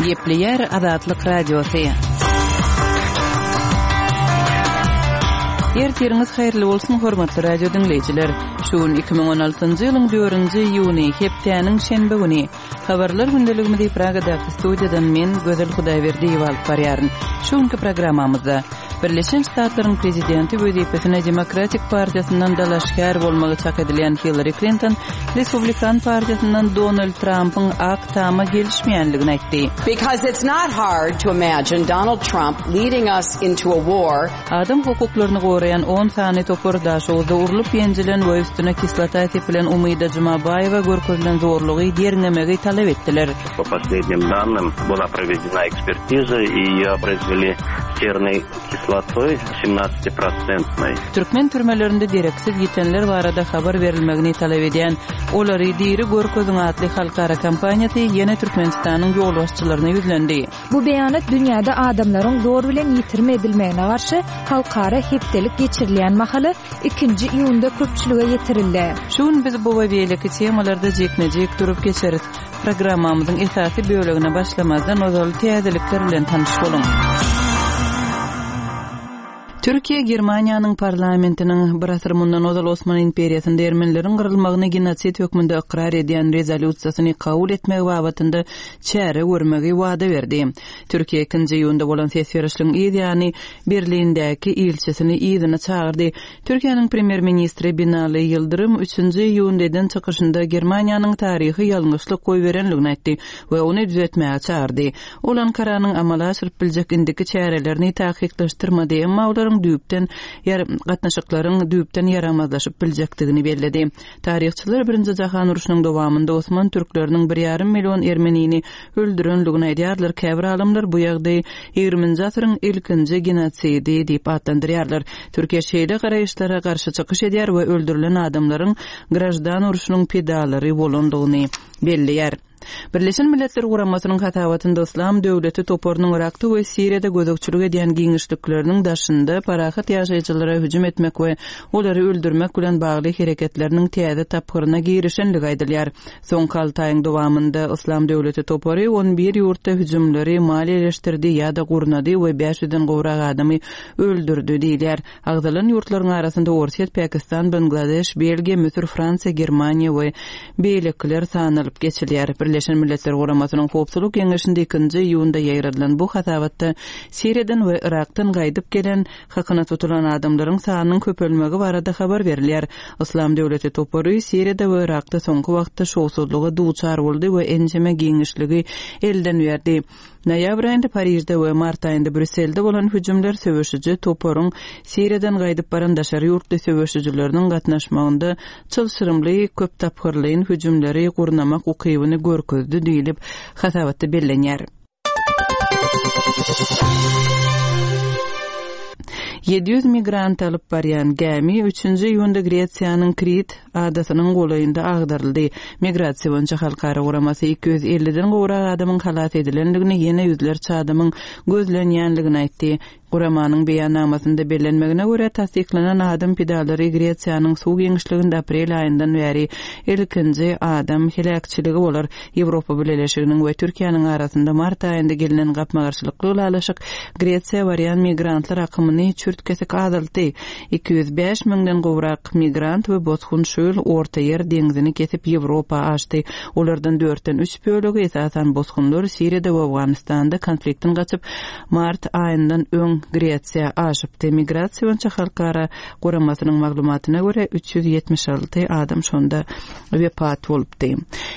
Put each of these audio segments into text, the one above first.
Gepleýär Azatlyk Radiosy. Ertiriňiz haýyrly bolsun, hormatly radio diňleýjiler. Şu gün 2016-njy ýylyň 4-nji iýuny, hepdäniň şenbe güni. Habarlar gündeligimizi Pragadaky studiýadan men, Gözel Hudaýberdiýewa alyp barýaryn. Şu günki programmamyzda Birleşen Ştatlaryň prezidenti wezipesine Demokratik partiýasyndan dalaşgär bolmagy çak edilýän Hillari Klinton Respublikan partiýasyndan Donald Trampyň Ak Tama gelişmeýänligini aýtdy. Because it's not hard to imagine Donald Trump leading us into a war. Adam hukuklaryny goraýan on sany topar Daşoguzda urlup-ýenjilen we üstüne kislota sepilen Umyda Jumabaýewa görkezilen zorlugy derňemegi talap etdiler. Po poslednim dannym byla provedena ekspertiza i ýe oprezweli sernoý kislotoý semnadcatiprocentnoý. Türkmen türmelerinde dereksiz ýitenler barada habar berilmegini talap edýän Olary diri görkeziň atly halkara kampaniýasy ýene Türkmenistanyň ýolbaşçylaryna ýüzlendi. Bu beýanat dünýäde adamlaryň zor bilen ýitirim edilmegine garşy halkara hepdelik geçirilýän mahaly ikinji iýunda köpçülige ýetirildi. Şu gün biz bu we beýleki temalarda jikme-jik durup geçeris. Programmamyzyň esasy bölegine başlamazdan ozal täzelikler bilen tanyş boluň. Türkiýe Germaniýanyň parlamentiniň bir asyr mundan ozal Osman imperiýasynda ermenileriň gyrylmagyny genosid hökmünde ykrar edýän rezolýusiýasyny kabul etmegi babatynda çäre görmegi wada berdi. Türkiýe ikinji iýunda bolan ses berişligiň yz ýany Berlindäki ilçisini yzyna çagyrdy. Türkiýäniň premýer-ministri Binali Ýyldyrym üçünji iýunda eden çykyşynda Germaniýanyň taryhy ýalňyşlyk goýberenligini aýtdy we ony düzetmäge çagyrdy. Ol Ankaranyň amala aşyryp biljek indiki çärelerini takyklaşdyrmady, emma olaryň düýpden gatnaşyklaryň düýpden ýaramazlaşyp biljekdigini belledi. Taryhçylar Birinji jahan urşunyň dowamynda osman türkleriniň bir ýarym million ermenini öldürenligini aýdýarlar, käbir alymlar bu ýagdaýy ýigriminji asyryň ilkinji genosidi diýip atlandyrýarlar. Türkiýe şeýle garaýyşlara garşy çykyş edýär we öldürilen adamlaryň graždan urşunyň pidalary bolandygyny belleýär. Birleşen Milletler Guramasynyň hasabatynda Yslam döwleti toparynyň Yrakda we Siriýada gözegçilik edýän giňişlikleriniň daşynda parahat ýaşaýjylara hüjüm etmek we olary öldürmek bilen bagly hereketleriniň täze tapgyryna girişendigi aýdylýar. Soňky alty aýyň dowamynda Yslam döwleti topary on bir ýurtda hüjümleri maliýeleşdirdi ýa-da gurnady we bäş ýüzden gowrak adamy öldürdi diýilýär. Agzalan ýurtlaryň arasynda Orsýet, Pakistan, Bangladeş, Belgiýa, Müsür, Fransiýa, Germaniýa we beýlekiler sanalyp geçilýär. Birleşen Milletler Guramasynyň Howpsuzlyk Geňeşinde ikinji iýunda ýaýradylan bu hasabatda Siriýadan we Yrakdan gaýdyp gelen, hakyna tutulan adamlaryň sanynyň köpelmegi barada habar berilýär. Yslam döwleti topary Siriýada we Yrakda soňky wagtda şowsuzlyga duçar boldy we ençeme giňişligi elden berdi. Noýabr aýynda Parižde we mart aýynda Brýusselde bolan hüjümler söweşiji toparyň Siriýadan gaýdyp baran daşary ýurtly söweşijileriniň gatnaşmagynda çylşyrymly köptapgyrlaýyn hüjümleri gurnamak ukybyny görkezdi diýlip, hasabatda bellenýär. 700 migrant alyp barýan gämi üçünji iýunda Gresiýanyň Krit adasynyň golaýynda agdaryldy. Migrasiýa boýunça halkara guramasy 250-den gowrak adamyň halas edilendigini, ýene ýüzlerçe adamyň gözlenýändigini aýtdy. Guramanyň beýannamasynda bellenmegine görä, tassyklanan adam pidalary Gresiýanyň suw giňişliginde aprel aýyndan bäri ilkinji adam heläkçiligi bolar. Ýewropa Bileleşiginiň we Türkiýäniň arasynda mart aýynda gelnen gapma-garşylykly ylalaşyk Gresiýa barýan migrantlar akymyny çürt-kesik azaltdy. 205 müňden gowrak migrant we bosgun şu ýyl Ortaýer deňzini kesip Ýewropa aşdy. Olardan dörtden üç bölegi, esasan bosgunlar, Siriýada we Owganystanda konfliktden gaçyp, mart aýyndan öň Gresiýa aşypdy. Migrasiýa boýunça halkara guramasynyň maglumatyna görä, 376 adam şonda wepat bolupdy.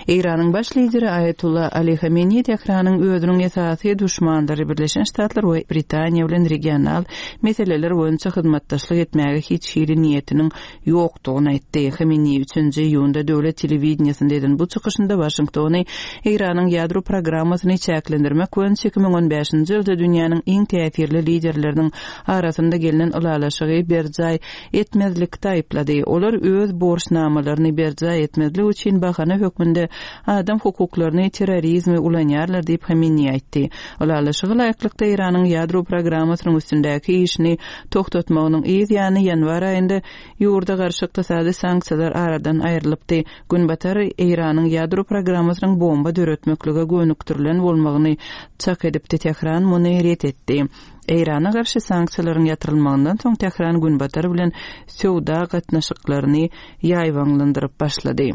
Eýranyň baş lideri Aýatolla Ali Hameneý Tähranyň özüniň esasy duşmanlary Birleşen Ştatlar we Britaniýa bilen regional meseleler boýunça hyzmatdaşlyk etmäge hiç hili niýetiniň ýokdugyny aýtdy. Hameneý üçünji iýunda döwlet telewideniýesinde eden bu çykyşynda Waşingtony Eýranyň ýadro programmasyny çäklendirmek boýunça 2015-nji ýylda dünýäniň iň täsirli liderleriniň arasynda gelnen ylalaşygy berjaý etmezlikde aýyplady. Olar öz borçnamalaryny berjaý etmezlik üçin bahana hökmünde. adam hukuklaryny, terrorizmi ulanýarlar diýip, Hameneýi aýtdy. Ylalaşyga laýyklykda, Eýranyň ýadro programmasynyň üstündäki işini togtatmagynyň yz ýany ýanwar aýynda ýurda garşy ykdysady sanksiýalar aradan aýrylypdy. Günbatar Eýranyň ýadro programmasynyň bomba döretmeklige gönükdirilen bolmagyny çak edipdi, Tähran muny ret etdi. Eýrana garşy sanksiýalaryň ýatyrylmagyndan soň Tähran Günbatar bilen söwda gatnaşyklaryny ýaýbaňlandyryp başlady.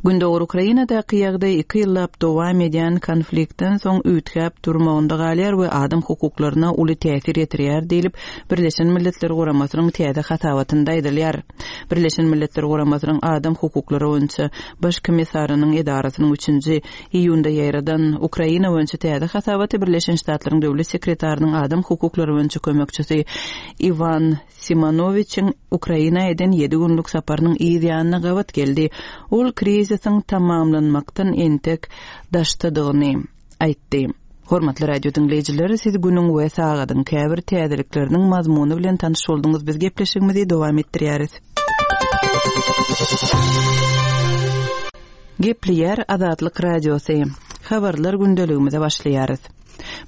Gündogar Ukrainadaky ýagdaý iki ýyllap dowam edýän konfliktden soň üýtgäp durmagynda galýar we adam hukuklaryna uly täsir ýetirýär diýlip, Birleşen Milletler Guramasynyň täze hasabatynda aýdylýar. Birleşen Milletler Guramasynyň Adam hukuklary boýunça Baş komissarynyň edarasynyň üçünji iýunda ýaýradan Ukraina boýunça täze hasabaty Birleşen Ştatlaryň Döwlet sekretarynyň adam hukuklary boýunça kömekçisi Iwan Simanowiçiň Ukraina eden ýedi günlük saparynyň yz ýanyna gabat geldi. Ol krizisiň tamamlanmakdan entek daşdadygyny aýtdy. Hormatly radio diňleýjiler, siz günüň we sagadyň käbir täzelikleriniň mazmuny bilen tanyş bolduňyz. Biz gepleşigimizi dowam etdirýäris. Gepleýär Azatlyk Radiosy. Habarlar gündeligimize başlaýarys.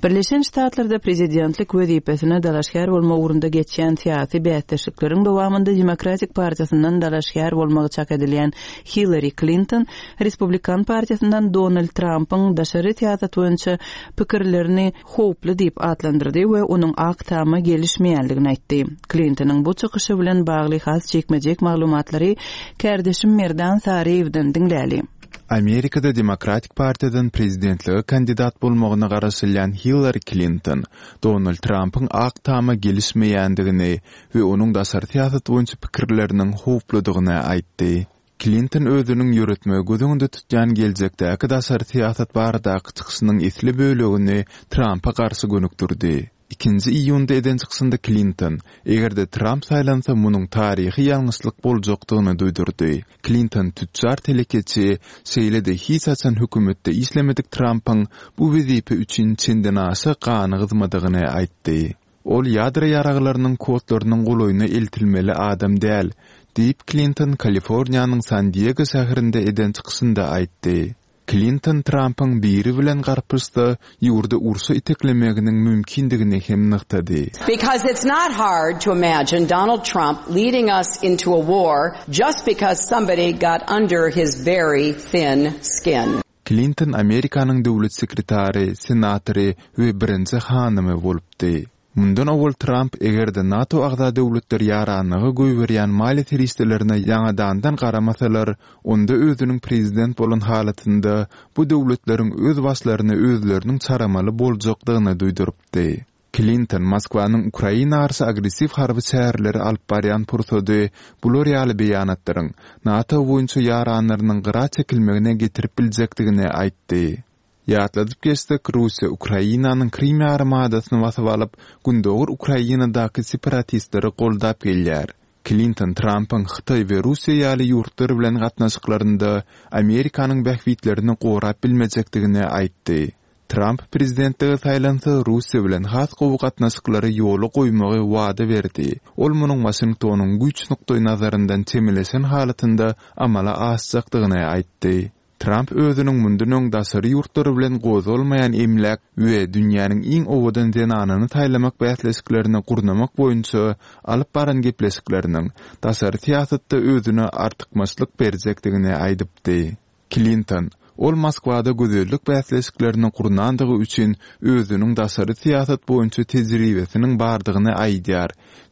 Birleşen Ştatlarda prezidentlik wezipesine dalaşgär bolmak ugrunda geçýän syýasy bäsdeşlikleriň dowamynda Demokratik partiýasyndan dalaşgär bolmagy çak edilýän Hillari Klinton Respublikan partiýasyndan Donald Trampyň daşary syýasat boýunça pikirlerini howply diýip atlandyrdy we onuň Ak Tama gelişmeýändigini aýtdy. Klintonyň bu çykyşy bilen bagly has jikme-jik maglumatlary kärdeşim Merdan Saryýewden diňläli. Amerikada Demokratik partiýadan prezidentlige kandidat bolmagyna garaşylýan Hillari Klinton Donald Trampyň Ak Tama gelişmeýändigini we onuň daşary syýasat boýunça pikirleriniň howpludygyny aýtdy. Klinton özüniň ýöretmegi göz öňünde tutýan geljekdäki daşary syýasat baradaky çykyşynyň esli bölegini Trampa garşy gönükdirdi. Ikinji iýunda eden çykyşynda Klinton, eger-de Tramp saýlansa munuň taryhy ýalňyşlyk boljakdygyny duýdurdy. Klinton tüçjar telekeçi, şeýle-de hiç haçan hökümetde işlemedik Trampyň bu wezipe üçin çendenaşa gany gyzmadygyny aýtdy. Ol ýadro ýaraglarynyň kodlarynyň golaýyna eltilmeli adam däl, diýip Klinton Kaliforniýanyň San-Diego şäherinde eden çykyşynda aýtdy. Klinton Trampyň biri bilen garpyşsa, ýurdy urşa iteklemeginiň mümkindigini hem nygtady. Because it's not hard to imagine Donald Trump leading us into a war just because somebody got under his very thin skin. Klinton Amerikanyň döwlet sekretary, senatory we birinji hanymy bolupdy. Mundan owal Tramp eger-de NATO agza döwletler ýaranlyga goýberýän maliýe serişdelerine ýaňadandan garamasalar, onda özüniň prezident bolan halatynda bu döwletleriň öz başlaryny özleriniň çaramaly boljakdygyny duýdurypdy. Klinton Moskwanyň Ukraina garşy agressiw harby çäreleri alyp barýan pursady bular ýaly beýanatlaryň NATO boýunça ýaranlarynyň gyra çekilmegine getirip biljekdigini aýtdy. Ýatladyp geçsek, Russiýa Ukrainanyň Krym ýarymadasyny basyp alyp, gündogar Ukrainadaky separatistleri goldap gelýär. Klinton Trampyň Hytaý we Russiýa ýaly ýurtlar bilen gatnaşyklarynda Amerikanyň bähbitlerini gorap bilmejekdigini aýtdy. Tramp prezidentlige saýlansa, Russiýa bilen has gowy gatnaşyklary ýola goýmagy wada berdi. Ol munuň Waşingtonyň güýç nukdaýnazaryndan çemeleşen halatynda amala aşjakdygyny aýtdy. Tramp özüniň mundan öň daşary ýurtlar bilen gozgalmaýan emläk we dünýäniň iň owadan zenanyny saýlamak bäsleşiklerini gurnamak boýunça alyp baran gepleşikleriniň daşary syýasatda özüne artykmaçlyk berjekdigini aýdypdy. Klinton, Ol Moskwada gözellik bäsleşiklerini gurnandygy üçin özüniň daşary syýasat boýunça tejribesiniň bardygyny aýdýar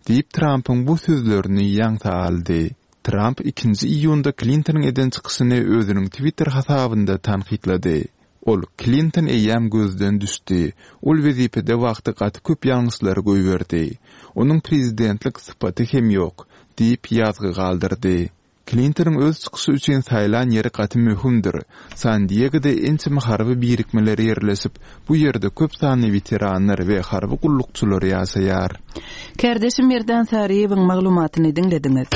diýip Trampyň bu sözlerini ýaňsa aldy. Tramp ikinji iýunda Klintonyň eden çykyşyny özüniň Twitter hasabynda tankytlady. Ol, Klinton eýýäm gözden düşdi. Ol wezipede wagty gaty köp ýalňyşlary goýberdi. Onuň prezidentlik sypaty hem ýok, diýip ýazgy galdyrdy. Klintonyň öz çykyşy üçin saýlan ýeri gaty möhümdir. San-Diegoda ençeme harby birikmeler ýerleşip, bu ýerde köp sanly weteranlar we harby gullukçylar ýaşaýar. Kärdeşim Merdan Saryýewiň maglumatyny diňlediňiz.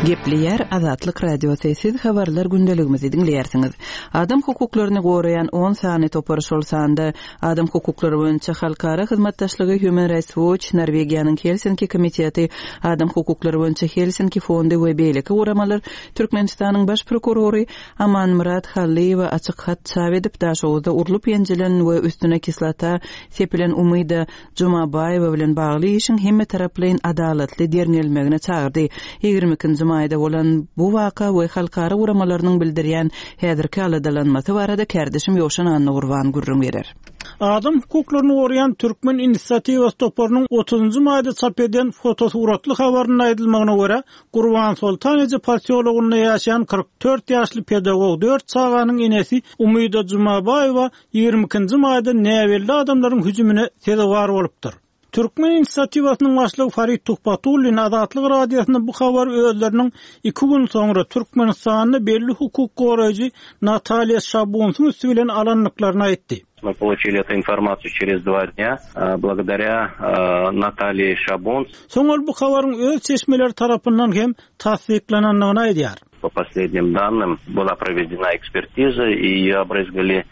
Gepleýär Azatlyk Radiosy, siz habarlar gündeligimizi diňleýärsiňiz. Adam hukuklaryny goraýan on sany topar, şol sanda Adam hukuklary boýunça halkara hyzmatdaşlygy Human Rights Watch, Norwegiýanyň Helsinki komiteti, Adam hukuklary boýunça Helsinki fondy we beýleki guramalar Türkmenistanyň Baş prokurory Amanmyrat Hallyýewe açyk hat çap edip, Daşoguzda urlup-ýenjilen we üstüne kislota sepilen Umyda Jumabaýewa bilen bagly işiň hemmetaraplaýyn adalatly derňelmegine çagyrdy. 22-nji maýda bolan bu waka we halkara guramalarynyň bildirýän häzirki aladalanmasy barada kärdeşim Ýowşan Annagurban gürrüň berer. Adam hukuklaryny goraýan Türkmen inisiatiwasy toparynyň otuzynjy maýda çap eden fotosuratly habarynda aýdylmagyna görä, Gurbansoltan eje posýologynda ýaşaýan 44 ýaşly pedagog, dört çaganyň enesi Umyda Jumabaýewa 22-nji maýda näbelli adamlaryň hüjümine sezewar bolupdyr. Türkmen inisiatiwasynyň başlygy Farid Tuhbatullin Azatlyk Radiosyna bu habary özleriniň iki gün soňra Türkmenistanda belli hukuk goraýjy Natalýa Şabunsyň üsti bilen alandyklaryny aýtdy. Мы получили эту информацию через два дня, благодаря Наталье Шабунц. Soň ol bu habaryň öz çeşmeleri tarapyndan hem tassyklanandygyny aýdýar. По последним данным, была проведена экспертиза и ее обрызгали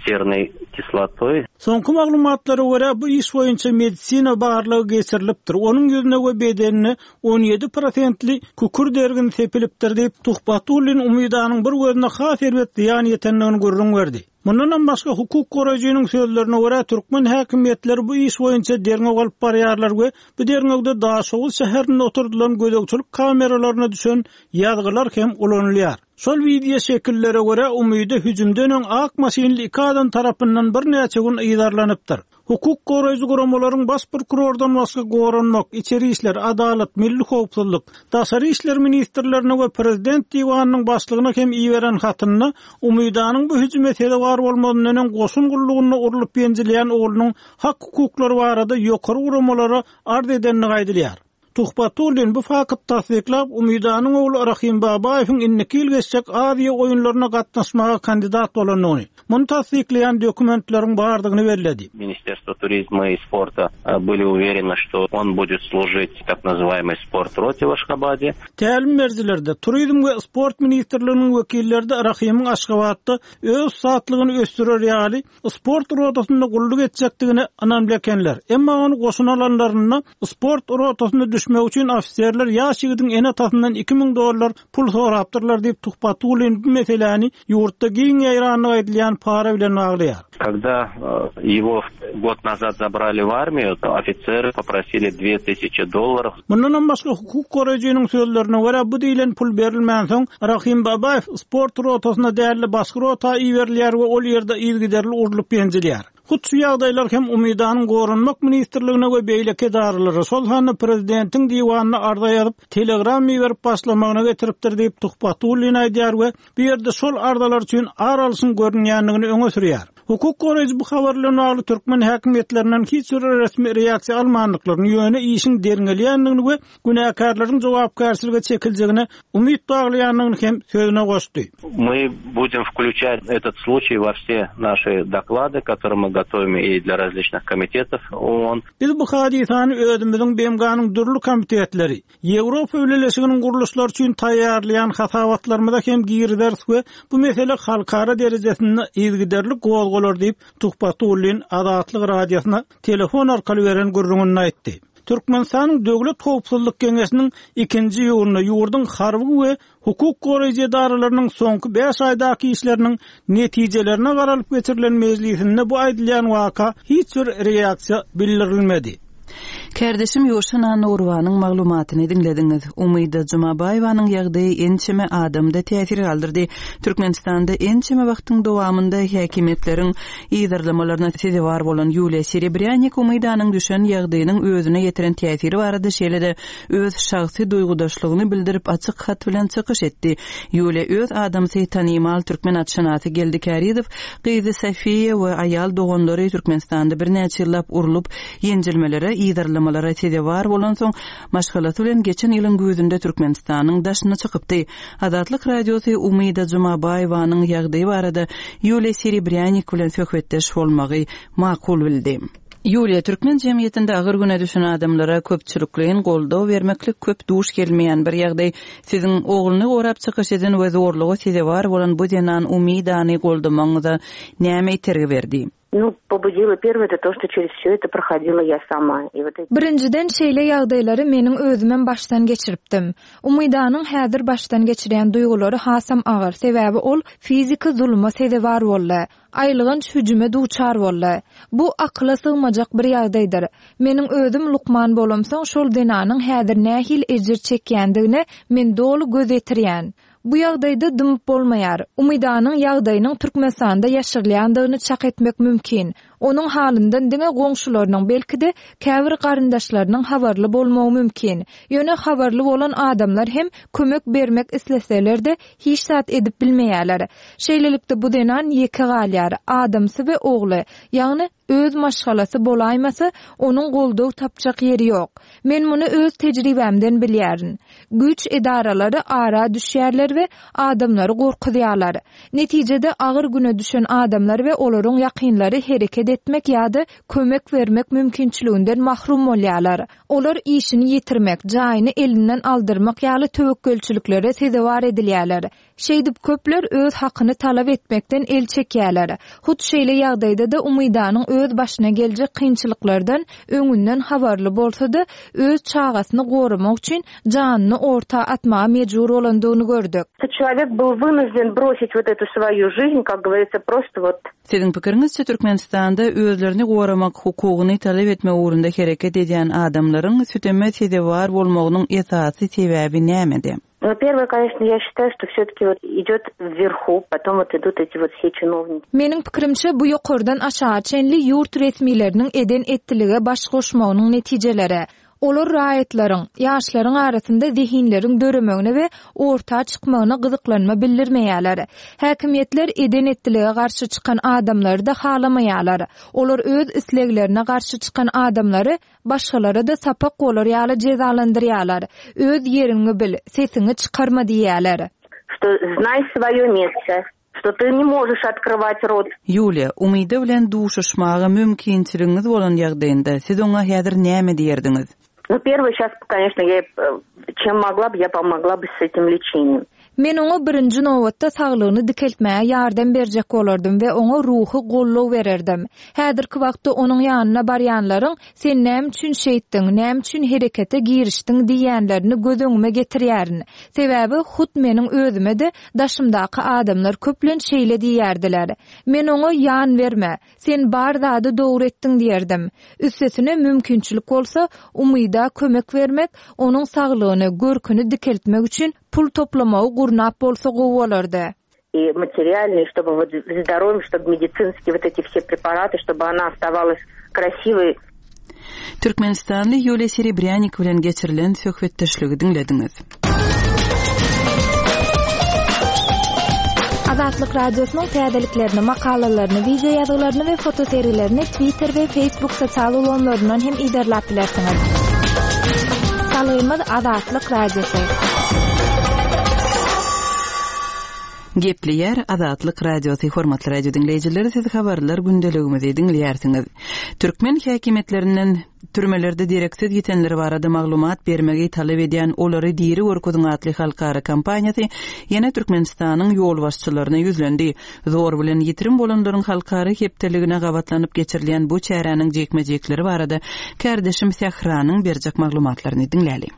серной kislotoý. Soňky maglumatlara görä, bu iş boýunça medisina barlagy geçirilipdir, onuň ýüzüne we bedenine 17 prosentli kükürt ergini sepilipdir diýip, Tuhbatullin Umidanyň bir gözüne has erbet zyýan ýetendigini gürrüň berdi. Mundanam başga, hukuk goraýjynyň sözlerine görä, türkmen häkimiýetleri bu iş boýunça derňew alyp barýarlar we bu derňewde Daşoguz şäherinde oturdylan gözegçilik kameralaryna düşen ýazgylar hem ulanylýar. Şol wideo şekillere görä, Umyda hüjümden öň ak maşynly iki adam tarapyndan birnäçe gün yzarlanypdyr. Hukuk goraýjy guramalaryň baş prokurordan başga Goranmak, Içeri işler, Adalat, Milli howpsuzlyk, Daşary işler ministrlerine we Prezident diwanynyň başlygyna hem iberen hatynda Umydanyň bu hüjüme sezewar bolmazyndan öň goşun gullugynda urlup-ýenjilýän oglunyň hak-hukuklary barada ýokary guramalara arz edendigi aýdylýar. Tuhbatullin bu fakty tassyklap, Umydanyň ogly Rahim Babaýewiň indiki ýyl geçjek Aziýa oýunlaryna gatnaşmaga kandidat bolandygyny, muny tassyklaýan dokumentleriň bardygyny belledi. Ministerstvo turizma i sporta byli uwereny, şto on budet služit tak nazywaýmoý sport rote w Aşgabade. Tälim berijiler-de, Turizm we sport ministrliginiň wekilleri-de Rahimiň Aşgabatda öz ussatlygyny ösdürer ýaly sport rotasynda gulluk etjekdigine ynamly ekenler. Emma ony goşuna alanlarynda sport rotasyna düşmegi üçin ofiserler ýaş ýigidiň ene-atasyndan 2000 dollar pul sorapdyrlar diýip, Tuhbatullin bu meseläni ýurtda giň ýaýrandygy aýdylýan para bilen baglaýar. Когда его год назад забрали в армию, то офицеры попросили dve tысячи долларов. Mundanam başga, hukuk goraýjynyň sözlerine görä, bu diýlen pul berilmänsoň, Rahim Babaýew sport rotasyna däl-de, başga rota iberilýär we ol ýerde yzygiderli urlup-ýenjilýär. Hut şu ýagdaýlar hem Umydanyň Goranmak ministrligine we beýleki edaralara, şol sanda prezidentiň diwanyna arza ýazyp, telegram iberip başlamagyna getiripdir diýip, Tuhbatullin aýdýar we bu ýerde şol arzalar üçin ar alşyň görünýändigini öňe sürýär. Hukuk goraýjy bu habar bilen bagly türkmen häkimiýetlerinden hiç bir resmi reaksiýa almandyklaryny, ýöne işiň derňelýändigini we günäkärleriň jogapkärçilige çekiljegine umyt baglaýandygyny hem sözüne goşdy. My budem wklýuçat etot sluçaý wo wse naşi doklady, kotorye my gotowim i dlýa razliçnyh komitetow OON. Biz bu hadysany özümiziň BMG-niň dürli komitetleri, Ýewropa Bileleşiginiň gurluşlary üçin taýýarlaýan hasabatlarymyza hem girizeris we bu mesele halkara derejesinde yzygiderli gozgalar diýip, Tuhbatullin Azatlyk Radiosyna telefon arkaly beren gürrüňinde aýtdy. Türkmenistanyň Döwlet howpsuzlyk geňeşiniň ikinji iýunda ýurduň harby we hukuk goraýjy edaralarynyň soňky bäş aýdaky işleriniň netijelerine garalyp geçirilen mejlisinde bu aýdylýan waka hiç bir reaksiýa bildirilmedi. Kärdeşim Ýowşan Annagurbanyň maglumatyny diňlediňiz. Umyda Jumabaýewanyň ýagdaýy ençeme adamda täsir galdyrdy. Türkmenistanda ençeme wagtyň dowamynda häkimiýetleriň yzarlamalaryna sezewar bolan Ýuliýa Serebrýanik Umydanyň düşen ýagdaýynyň özüne ýetiren täsiri barada şeýle-de öz şahsy duýgudaşlygyny bildirip açyk hat bilen çykyş etdi. Ýuliýa öz adamsy tanymal türkmen atşynasy Geldi Kärizow, gyzy Sofiýa we aýal doganlary Türkmenistanda birnäçe ýyllap urlup, ýenjilmelere, yzarlamalara sezewar bolansoň, maşgalasy bilen geçen ýylyň güýzünde Türkmenistanyň daşyna çykypdy. Azatlyk Radiosy Umyda Jumabaýewanyň ýagdaýy barada Ýuliýa Serebrýanik bilen söhbetdeş bolmagy makul bildi. Ýuliýa, türkmen jemgyýetinde agyr güne düşen adamlara köpçülikleýin goldaw bermeklik köp duş gelmeýän bir ýagdaý. Siziň ogluny gorap çykyş eden we zorluga sezewar bolan bu zenan Umidany goldamagyňyza näme itergi berdi? Nu, pobudilo perwoe eto to, çto çerez wsё eto prohodila ýa sama. I wot eti. Birinjiden şeýle ýagdaýlary meniň özümem başdan geçiripdim. Umydanyň häzir başdan geçirýän duýgulary hasam agyr, sebäbi ol fiziki zuluma sezewar boldy. Aýylganç hüjüme duçar boldy. Bu akyla sygmajak bir ýagdaýdyr. Meniň özüm lukman bolamsoň şol zenanyň häzir nähili ejir çekýändigine men doly göz ýetirýän. Bu ýagdaýda dymyp bolmaýar. Umydanyň ýagdaýynyň Türkmenistanda ýaşyrylýandygyny çak etmek mümkin. Onuň halyndan diňe goňşularynyň, belki-de, käbir garyndaşlarynyň habarly bolmagy mümkin. Ýöne habarly bolan adamlar hem kömek bermek isleseler-de, hiç zat edip bilmeýärler. Şeýlelikde, bu zenan ýeke galýar, adamsy we ogly, ýagny öz maşgalasy bolaýmasa, onuň goldaw tapjak ýeri ýok. Men muny öz tejribämden bilýärin. Güýç edaralary ara düşýärler we adamlary gorkuzýarlar. Netijede agyr güne düşen adamlar we olaryň ýakynlary hereket etmek ýa-da kömek bermek mümkinçiliginden mahrum bolýarlar. Olar işini ýitirmek, jaýyny elinden aldyrmak ýaly töwekgelçiliklere sezewar edilýärler. Şeýdip köpler öz hakyny talap etmekden el çekýärler. Hut şeýle ýagdaýda-da Umydanyň öz başyna geljek kynçylyklardan öňünden habarly bolsa-da, öz çagasyny goramak üçin janyny orta atmaga mejbur bolandygyny gördük. Çelowek byl wynujden brosiť wot etu swoýu žižn, kak goworitsya, prosto wot. Siziň pikiriňizçe Türkmenistanda özlerini goramak hukugyny talap etmek ugrunda hereket edýän adamlaryň süteme sezewar bolmagynyň esasy sebäbi nämede? No perwoe koneçno ýa şitaýu şto wsýo-taki wot idýot wwerhu potom wot idut eti wot wse çinowniki. Meniň pikirimçe bu ýokardan aşaga çenli ýurt resmileriniň eden-etdilige baş goşmagynyň netijeleri. Olar raýatlaryň, ýaşlaryň arasynda zehinleriň döremegine we orta çykmagyna gyzyklanma bildirmeýärler. Häkimiýetler eden-etdilige garşy çykan adamlary-da halamaýarlar. Olar öz isleglerine garşy çykan adamlary Başgalara-da sapak bolar ýaly jezalandyrýarlar. Öz ýeriňi bil, sesiňi çykarma diýýärler. Što znaý svoýo mesta, što ty ne možeš otkrywać rot. Ýuliýa, Umyda bilen duşuşmaga mümkinçiligiňiz bolan ýagdaýynda, siz oňa häzir näme diýerdiňiz? Nu, perwyý şas, koneçno, ýa çem mogla by, ýa pomogla by s etim leçeniýem. Men oňa birinji nobatda saglygyny dikeltmäge ýardam berjek bolardym we oňa ruhy goldaw bererdim. Häzirki wagtda onuň ýanyna barýanlaryň Sen näme üçin şeýtdiň, näme üçin herekete girişdiň diýýänlerini göz öňüme getirýärin. Sebäbi hut meniň özüme-de daşymdaky adamlar köplenç şeýle diýýärdiler. Men oňa Ýan berme, Sen bar zady dogry etdiň diýerdim. Üstesine mümkinçilik bolsa, Umyda kömek bermek, onuň saglygyny, görküni dikeltmek üçin pul toplamagy gurnap bolsa gowy bolardy. I materialnyý, ştoby wot zdorowýem, ştoby medisinskiý wot eti wse preparaty, ştoby ona ostawalась krasiwoý. Türkmenistanly Ýuliýa Serebrýanik bilen geçirilen söhbetdeşligi diňlediňiz. Azatlyk Radiosynyň täzeliklerini, makalalaryny, wideo ýazgylaryny we fotosergilerini Twitter we Facebook sosial ulgamlaryndan hem yzarlap bilersiňiz. Salgymyz Azatlyk Radiosy. Gepleýär Azatlyk Radiosy Hormatly radio diňleýjiler siz habarlar gündeligimizi diňleýärsiňiz. Türkmen häkimiýetlerinden türmelerde dereksiz ýitenler barada maglumat bermegi talap edýän Olary diri görkeziň atly halkara kampaniýasy ýene Türkmenistanyň ýolbaşçylaryna ýüzlendi. Zor bilen ýitirim bolanlaryň halkara hepdeligine gabatlanyp geçirilýän bu çäräniň jikme-jikleri barada kärdeşim Sähranyň berjek maglumatlaryny diňläliň.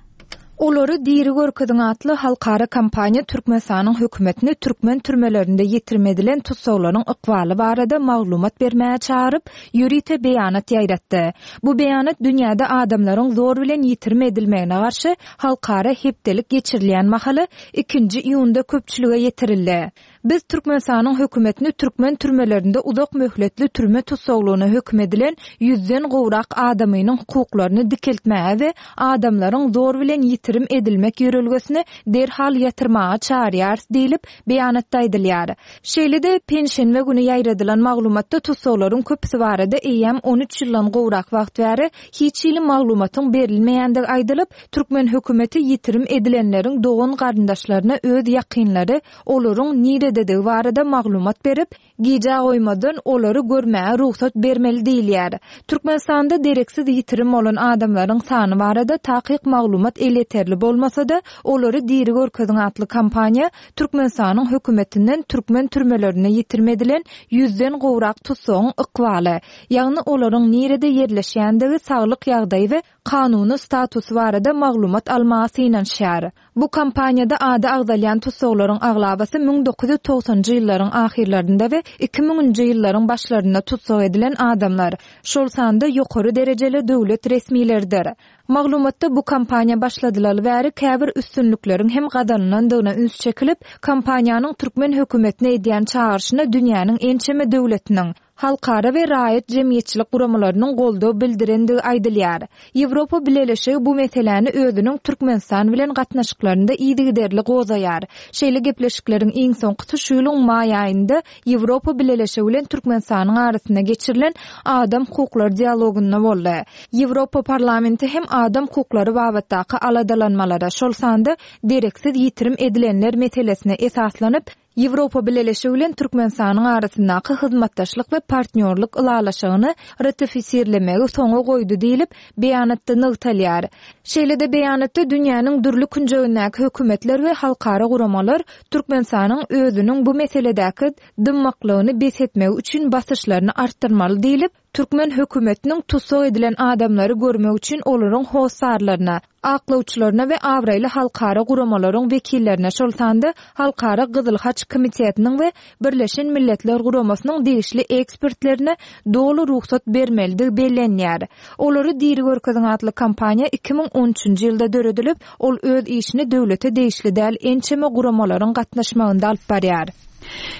Olary diri görkeziň atly halkara kampaniýa Türkmenistanyň hökümetini türkmen türmelerinde ýitirim edilen tussaglaryň ykbaly barada maglumat bermäge çagyryp, ýörite beýanat ýaýratdy. Bu beýanat dünýäde adamlaryň zor bilen ýitirim edilmegine garşy halkara hepdelik geçirilýän mahaly ikinji iýunda köpçülige ýetirildi. Biz Türkmenistanyň hökümetini türkmen türmelerinde uzak möhletli türme tussaglygyna höküm edilen ýüzden gowrak adamynyň hukuklaryny dikeltmäge we adamlaryň zor bilen. ýitirim edilmek ýörelgesini derhal ýatyrmaga çagyrýarys diýlip, beýanatda aýdylýar. Şeýle-de, penşenbe güni ýaýradylan maglumatda tussaglaryň köpüsi barada eýýäm 13 ýyldan gowrak wagt bäri hiç hili maglumatyň berilmeýändigi aýdylyp, türkmen hökümeti ýitirim edilenleriň dogan-garyndaşlaryna öz ýakynlary olaryň nirededigi barada maglumat berip, Gijä goýmazdan olary görmäge rugsat bermeli diýilýär. Türkmenistanda dereksiz ýitirim bolan adamlaryň sany barada takyk maglumat elýeterli bolmasa-da, Olary diri görkeziň atly kampaniýa Türkmenistanyň hökümetinden türkmen türmelerinde ýitirim edilen ýüzden gowrak tussagyň ykbaly, ýagny olaryň nirede ýerleşýändigi, saglyk ýagdaýy we kanuny statusy barada maglumat almaga synanyşýar. Bu kampaniýada ady agzalýan tussaglaryň aglabasy 1990-njy ýyllaryň ahyrlarynda we iki müňünji ýyllaryň başlarynda tussag edilen adamlar, şol sanda ýokary derejeli döwlet resmileridir. Maglumatda bu kampaniýa başladylaly bäri käbir üstünlikleriň hem gazanylandygyna üns çekilip, kampaniýanyň türkmen hökümetine edýän çagyryşyna dünýäniň ençeme döwletiniň, halkara we raýat jemgyýetçilik guramalarynyň goldaw bildirendigi aýdylýar. Ýewropa Bileleşigi bu meseläni özüniň Türkmenistan bilen gatnaşyklarynda yzygiderli gozaýar. Şeýle gepleşikleriň iň soňkusy şu ýylyň maý aýynda Ýewropa Bileleşigi bilen Türkmenistanyň arasynda geçirilen adam hukuklary dialogynda boldy. Ýewropa Parlamenti hem adam hukuklary babatdaky aladalanmalara, şol sanda dereksiz ýitirim edilenler meselesine esaslanyp, Ýewropa Bileleşigi bilen Türkmenistanyň arasyndaky hyzmatdaşlyk we partnýorlyk ylalaşygyny ratifisirlemegi soňa goýdy diýlip, beýanatda nygtalýar. Şeýle-de beýanatda dünýäniň dürli künjegindäki hökümetler we halkara guramalar Türkmenistanyň özüniň bu meseledäki dymmaklygyny bes etmegi üçin basyşlaryny artdyrmaly diýlip, Türkmen hökümetiniň tussag edilen adamlary görmek üçin olaryň hossarlaryna, aklawçylaryna we abraýly halkara guramalaryň wekillerine, şol sanda Halkara Gyzyl Haç Komitetiniň we Birleşen Milletler Guramasynyň degişli ekspertlerine doly rugsat bermelidigi bellenýär. Olary diri görkeziň atly kampaniýa 2013-nji ýylda döredilip, ol öz işini döwlete degişli däl ençeme guramalaryň gatnaşmagynda alyp barýar.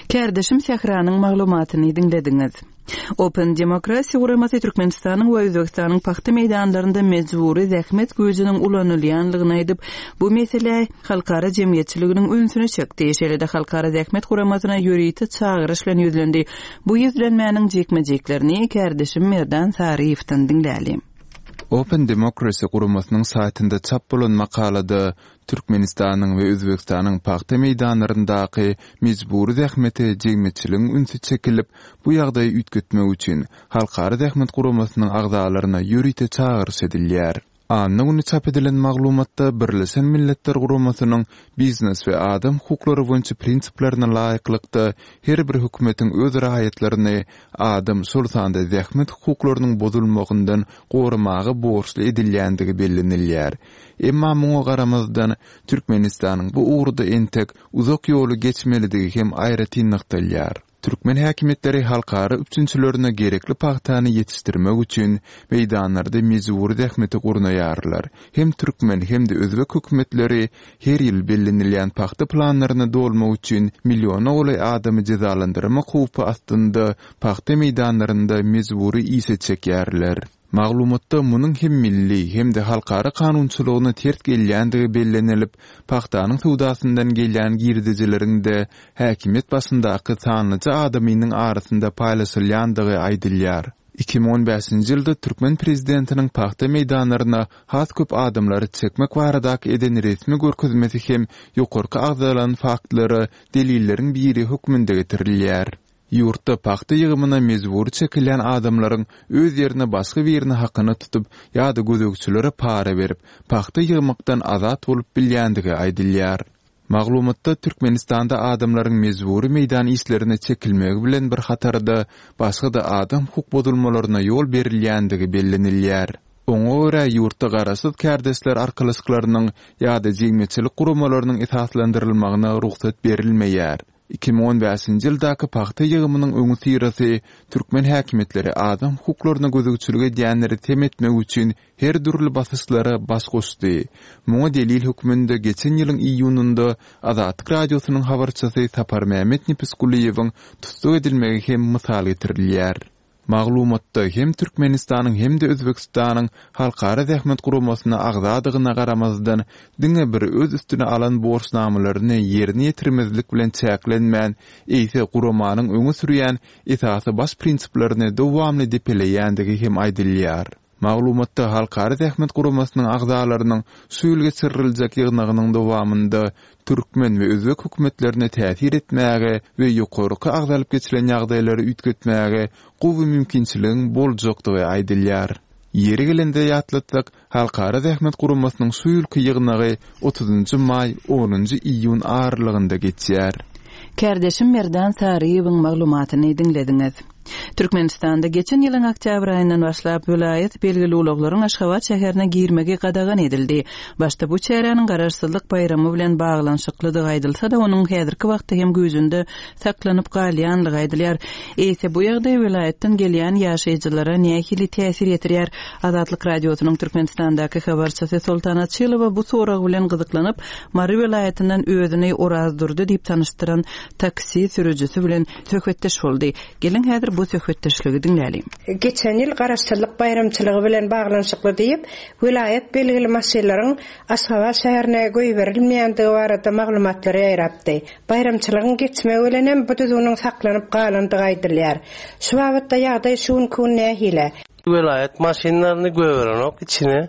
Kärdeşim Sähranyň maglumatyny diňlediňiz. Open Democracy guramasy Türkmenistanyň we Özbegistanyň pagta meýdanlarynda mejbury zähmet güýjüniň ulanylýanlygyny aýdyp, bu meselä halkara jemgyýetçiliginiň ünsüni çekdi, şeýle-de Halkara zähmet guramasyna ýörite çagyryş bilen ýüzlendi. Bu ýüzlenmäniň jikme-jiklerini kärdeşim Merdan Saryýewden diňläli. Open Democracy guramasynyň saýtynda çap bolan makalada Türkmenistanyň we Özbegistanyň pagta meýdanlaryndaky mejbury zähmete jemgyýetçiligiň ünsi çekilip, bu ýagdaýy üýtgetmek üçin Halkara zähmet guramasynyň agzalaryna ýörite çagyryş edilýär. Anna güni çap edilen maglumatda Birleşen Milletler Guramasynyň biznes we adam hukuklary boýunça prinsiplerine laýyklykda her bir hökümetiň öz raýatlaryny adam, şol sanda zähmet hukuklarynyň bozulmagyndan goramaga borçly edilýändigi bellenilýär. Emma muňa garamazdan, Türkmenistanyň bu ugurda entek uzak ýoly geçmelidigi hem aýratyn nygtalýar. Türkmen häkimiýetleri halkara üpjünçilerine gerekli pagtany ýetişdirmek üçin meýdanlarda mejbury zähmeti gurnaýarlar. Hem türkmen, hem-de özbek hökümetleri her ýyl bellenilýän pagta planlaryny dolmak üçin milliona golaý adamy jezalandyrmak howpy astynda pagta meýdanlarynda mejbury işe çekýärler. Maglumatda munuň hem milli, hem-de halkara kanunçylygyna ters gelýändigi bellenilip, pagtanyň söwdasyndan gelýän girdejileriň-de häkimiýet başyndaky sanlyja adamynyň arasynda paýlaşylýandygy aýdylýar. 2015-nji ýylda türkmen prezidentiniň pagta meýdanlaryna has köp adamlary çekmek baradaky eden resmi görkezmesi hem ýokarky agzalan faktlara delilleriň biri hökmünde getirilýär. Ýurtda pagta ýygymyna mejbury çekilýän adamlaryň öz ýerine başga birini hakyna tutup ýa-da gözegçilere para berip, pagta ýygmakdan azat bolup bilýändigi aýdylýar. Maglumatda Türkmenistanda adamlaryň mejbury meýdan işlerine çekilmegi bilen bir hatarda başga-da adam hukuk bozulmalaryna ýol berilýändigi bellenilýär. Oňa görä, ýurtda garaşsyz kärdeşler arkalaşyklarynyň ýa-da jemgyýetçilik guramalarynyň esaslandyrylmagyna rugsat berilmeýär. 2015-nji ýyldaky pagta ýygymynyň öňüsyrasy türkmen häkimiýetleri adam hukuklaryna gözegçilik edýänleri sem etmek üçin her dürli basyşlara baş goşdy. Muňa delil hökmünde geçen ýylyň iýunynda Azatlyk Radiosynyň habarçysy Saparmämmet Nepesgulyýewiň tussag edilmegi hem mysal getirilýär. Maglumatda hem Türkmenistanyň hem-de Özbegistanyň Halkara zähmet guramasyna agzadygyna garamazdan, diňe bir öz üstüne alan borçnamalaryny ýerine ýetirmezlik bilen çäklenmän, eýse guramanyň öňe sürýän esasy baş prinsiplerini dowamly depeleýändigi hem aýdylýar. Maglumatda Halkara zähmet guramasynyň agzalarynyň şu ýyl geçiriljek ýygnagynyň dowamynda türkmen we özbek hökümetlerine täsir etmäge we ýokarky agzalyp geçilen ýagdaýlary üýtgetmäge gowy mümkinçiligiň boljakdygy aýdylýar. Ýeri gelende ýatlatsak, Halkara zähmet guramasynyň şu ýylky ýygnagy otuzynjy maý, onunjy iýun aralygynda geçýär. Kärdeşim Merdan Saryýewiň maglumatyny diňlediňiz. Türkmenistanda geçen ýylyň oktýabr aýyndan başlap, welaýat belgili ulaglaryň Aşgabat şäherine girmegi gadagan edildi. Başda bu çäräniň Garaşsyzlyk baýramy bilen baglanyşyklydygy aýdylsa-da, onuň häzirki wagtda hem güýjünde saklanyp galýanlygy aýdylýar. Eýse, bu ýagdaý welaýatdan gelýän ýaşaýjylara nähili täsir ýetirýär? Azatlyk Radiosynyň Türkmenistandaky habarçysy Soltan Açylowa bu sorag bilen gyzyklanyp, Mary welaýatyndan özüni Orazdurdy diýip tanyşdyran taksi sürüjisi bilen söhbetdeş boldy. Geliň, häzir bu söhbetdeşligi diňläliň. Geçen ýyl Garaşsyzlyk baýramçylygy bilen baglanyşykly diýip, welaýat belgili maşynlaryň Aşgabat şäherine goýberilmeýändigi barada maglumatlar ýaýrapdy. Baýramçylygyň geçmegi bilen hem bu düzgüniň saklanyp galandygy aýdylýar. Şu babatda ýagdaý şu günki gün nähili? Welaýat maşynlaryny goýberenok içine.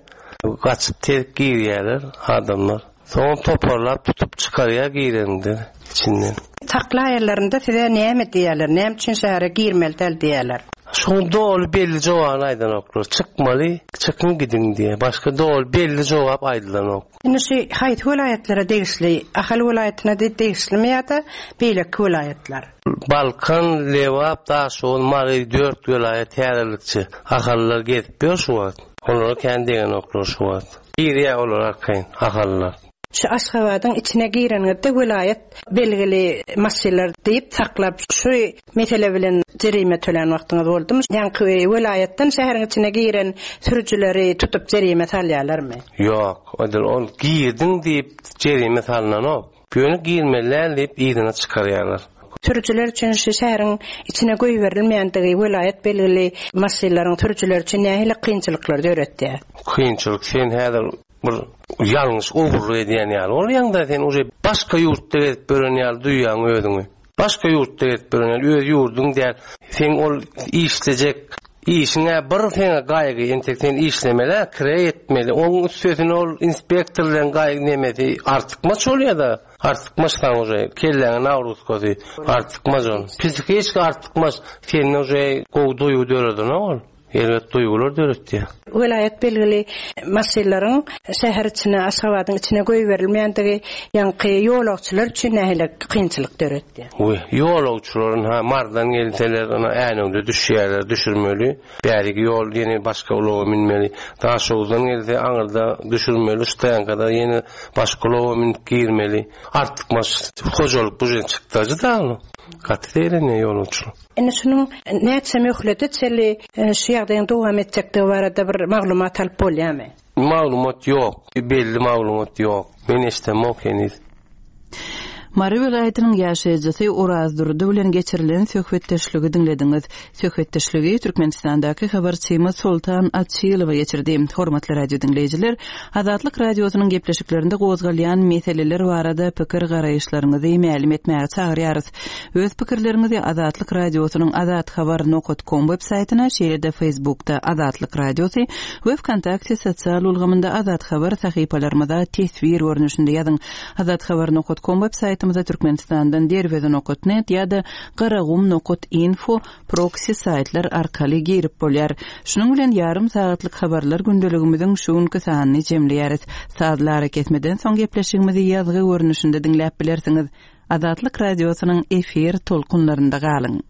Gaçyp terk girýärler adamlar. Soňam toparlap tutup çykarýar gireninde içinden. Saklaýanlarynda size näme diýýärler? Näme üçin şähere girmeli däl diýýärler? Şoň doly belli jogabyny aýdanoklar. Çykmaly, çykyň gidiň diýýär. Başga doly belli jogap aýdylanok. Indi şu haýsy welaýatlara degişli? Ahal welaýatyna degişlimi ýa-da beýleki welaýatlar? Balkan, Lebap, Daşoguz, Mary dört welaýat häzirlikçe. Ahallylar gezip ýör şu wagt. Olara kän degenoklar şu wagt. Girýär olar arkaýyn, ahallylar. Şu Aşgabadyň içine gireniňizde welaýat belgili maşynlar diýip saklap şu mesele bilen jerime tölän wagtyňyz boldumy? Ýaňky welaýatdan şäheriň içine giren sürüjileri tutup jerime salýarlarmy? Ýok, edil ol girdiň diýip jerime salnanok. Ýöne girmeli däl diýip yzyna çykarýarlar. Sürüjiler üçin şu şäheriň içine goýberilmeýändigi welaýat belgili maşynlaryň sürüjileri üçin nähili kynçylyklar döretýär? Kynçylyk sen häzir Bir ýalňyş ogurlyk edýän ýaly bolýaňda sen uje başga ýurtda gezip ýören ýaly duýýaň özüňi. Başga ýurtda gezip ýören ýaly öz ýurduň däl. Seň ol işlejek işiň-ä bir seňe gaýgy entek sen işlemeli-ä kireý etmeli. Oň üstesine ol inspektor bilen gaýgy nemesi artykmaç bolýa-da. Artykmaç saň uje kelläňe nagruzkasy artykmaç ol. Psihiçki artykmaç sende uje gowy duýgy döredenok ol. Erbet duýgular döretýär. Welaýat belgili maşynlaryň şäher içine, Aşgabadyň içine goýberilmeýändigi ýaňky ýolagçylar üçin nähili kynçylyk döretýär? We ýolagçylar ynha Marydan gelseler ynha Änewde düşýärler, düşürmeli. Bäriki ýol ýene başga ulaga münmeli. Daşoguzdan gelse aňyrda düşürmeli, Ştaýankada ýene başga ulaga münüp girmeli. Artykmaç hojalyk bujen çykdajy da gaty zeýrenýär ýolagçylar. Indi şunuň näçe möhlete çenli şu ýagdaýyň dowam etjekdigi barada bir maglumat alyp bolýarmy? Maglumat ýok. Belli maglumat ýok. Men eşdemok heniz. Mary welaýatynyň ýaşaýjysy Orazdurdy bilen geçirilen söhbetdeşligi diňlediňiz. Söhbetdeşligi Türkmenistandaky habarçymyz Soltan Açylowa geçirdi. Hormatly radio diňleýjiler, Azatlyk Radiosynyň gepleşiklerinde gozgalýan meseleler barada pikir-garaýyşlaryňyzy mälim etmäge çagyrýarys. Öz pikirleriňizi Azatlyk Radiosynyň azathabar nokat kom web saýtyna, şeýle-de Facebookda Azatlyk Radiosy we Wkontakte sosial ulgamynda Azathabar sahypalarymyza teswir görnüşinde ýazyň. Azathabar nokat kom web saýtymyza Türkmenistandan Derweze nokat net ýa-da Garagum nokat info proksi saýtlar arkaly girip bolýar. Şunuň bilen ýarym sagatlyk habarlar gündeligimiziň şu günki sanyny jemleýäris. Sazly arakesmeden soň gepleşigimizi ýazgy görnüşinde diňläp bilersiňiz. Azatlyk Radiosynyň efir tolkunlarynda galyň!